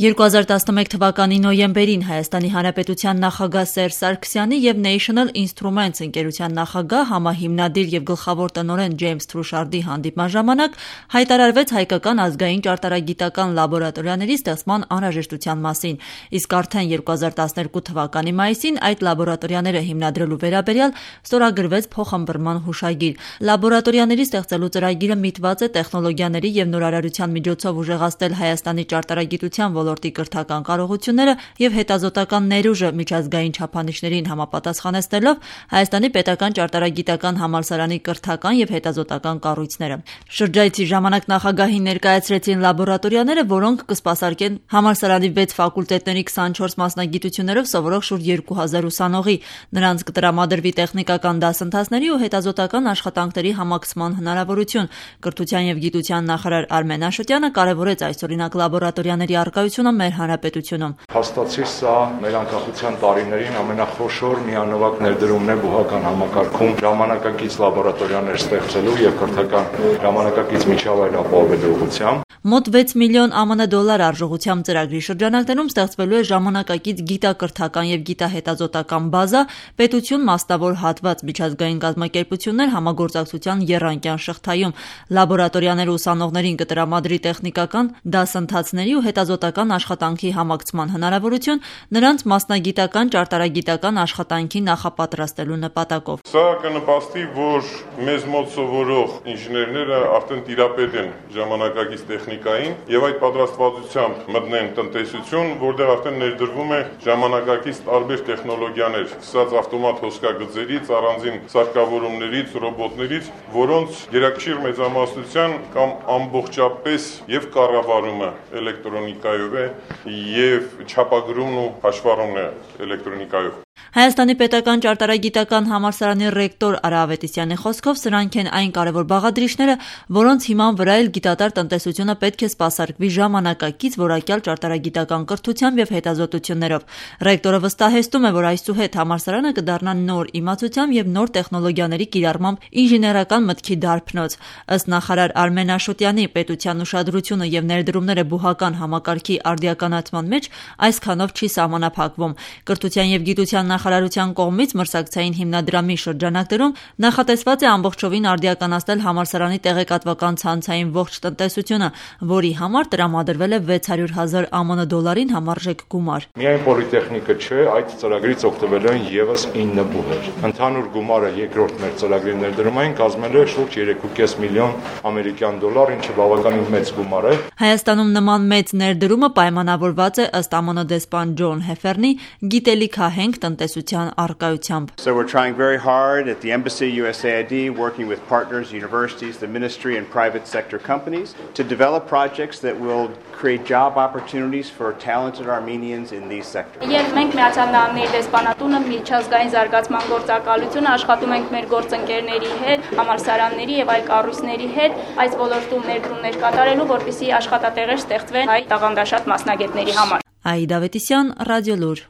2011 թվականի նոյեմբերին Հայաստանի Հանրապետության նախագահ Սերժ Սարգսյանի և National Instruments ընկերության նախագահ, համահիմնադիր և գլխավոր տնօրեն Ջեյմս Թրուշարդի հանդիպման ժամանակ հայտարարվեց հայկական ազգային ճարտարագիտական լաբորատորիաների ստեղծման անհրաժեշտության մասին, իսկ արդեն 2012 թվականի մայիսին այդ լաբորատորիաները հիմնադրելու վերաբերյալ ստորագրվեց փոխըմբռնման հուշագիր։ Լաբորատորիաների ստեղծելու ծրագիրը միտված է տեխնոլոգիաների և նորարարության միջոցով ուժեղացնել Հայաստանի ճարտարագիտության ոլորտի կրթական կարողությունները և հետազոտական ներուժը միջազգային չափանիշներին համապատասխանեցնելով Հայաստանի պետական ճարտարագիտական համալսարանի կրթական և հետազոտական կառույցները։ Շրջայցի ժամանակ նախագահին ներկայացրեցին լաբորատորիաները, որոնք կսպասարկեն համալսարանի 6 ֆակուլտետների 24 մասնագիտություններով սովորող շուրջ 2000 ուսանողի, նրանց կտրամադրվի տեխնիկական դասընթացների ու հետազոտական աշխատանքների համակցման հնարավորություն։ Կրթության և գիտության նախարար Արմեն Աշոտյանը կարևորեց այսօրինակ լաբորատորիաների առկայությունը մեր հանրապետությունում։ Փաստացի սա մեր անկախության տարիներին ամենախոշոր միանվագ ներդրումն է բուհական համակարգում ժամանակակից լաբորատորիաներ ստեղծելու և կրթական ժամանակակից միջավայր ապահովելու ուղղությամբ։ Մոտ 6 միլիոն ԱՄՆ դոլար արժողությամբ ծրագրի շրջանակներում ստեղծվելու է ժամանակակից գիտակրթական և գիտահետազոտական բազա, պետություն մասնավոր հատված, միջազգային կազմակերպություններ համագործակցության եռանկյան շղթայում։ Լաբորատորիաները ուսանողներին կտրամադրի տեխնիկական դասընթացների ու հետազոտական աշխատանքի համակցման հնարավորություն, նրանց մասնագիտական ճարտարագիտական աշխատանքի նախապատրաստելու նպատակով։ Սա կնպաստի, որ մեզ մոտ սովորող ինժեներները արդեն տիրապետ են ժամանակակից տեխնիկային եւ այդ պատրաստվածությամբ մտնեն տնտեսություն, որտեղ արդեն ներդրվում է ժամանակակից տարբեր տեխնոլոգիաներ, սկսած ավտոմատ հոսքագծերից, առանձին սարքավորումներից, ռոբոտներից, որոնց գերակշիռ մեծամասնության կամ ամբողջապես եւ կառավարումը էլեկտրոնիկայով է եւ չափագրումն ու հաշվառումն է էլեկտրոնիկայով։ Հայաստանի պետական ճարտարագիտական համալսարանի ռեկտոր Արա Ավետիսյանի խոսքով սրանք են այն կարևոր բաղադրիչները, որոնց հիման վրա էլ գիտատար տնտեսությունը պետք է սպասարկվի ժամանակակից որակյալ ճարտարագիտական կրթությամբ և հետազոտություններով։ Ռեկտորը վստահեցնում է, որ այսուհետ համալսարանը կդառնա նոր իմացությամբ և նոր տեխնոլոգիաների կիրառմամբ ինժեներական մտքի դարբնոց։ Ըստ նախարար Արմեն Աշոտյանի, պետության ուշադրությունը և ներդրումները բուհական համակարգի արդիականացման մեջ այսքանով չի սահմանափակվում։ Կրթության և գիտության նախարարության կողմից մրցակցային հիմնադրամի շրջանակներում նախատեսված է ամբողջովին արդիականացնել համալսարանի տեղեկատվական ցանցային ողջ տնտեսությունը, որի համար տրամադրվել է 600,000 ԱՄՆ դոլարին համարժեք գումար։ Միայն պոլիտեխնիկը չէ, այդ ծրագրից օգտվելու են ևս 9 բուհեր։ Ընդհանուր գումարը երկրորդ մեր ծրագրի ներդրումային կազմել է շուրջ 3.5 միլիոն ամերիկյան դոլար, ինչը բավականին մեծ գումար է։ Հայաստանում նման մեծ ներդրումը պայմանավորված է ըստ ԱՄՆ դեսպան Ջոն Հեֆերնի գիտելիքահենք տնտեսության առկայությամբ։ So we're trying very hard at the Embassy USAID, working with partners, universities, the ministry and private sector companies to develop projects that will create job opportunities for talented Armenians in these sectors. Եվ մենք Միացյալ Նահանգների դեսպանատունը միջազգային զարգացման գործակալությունը աշխատում ենք մեր գործընկերների հետ, համալսարանների եւ այլ կառույցների հետ այս ոլորտում ներդրումներ կատարելու, որպեսզի աշխատատեղեր ստեղծվեն հայ տաղանդաշատ մասնագետների համար։ Այդա Ավետիսյան, Ռադիոլուր։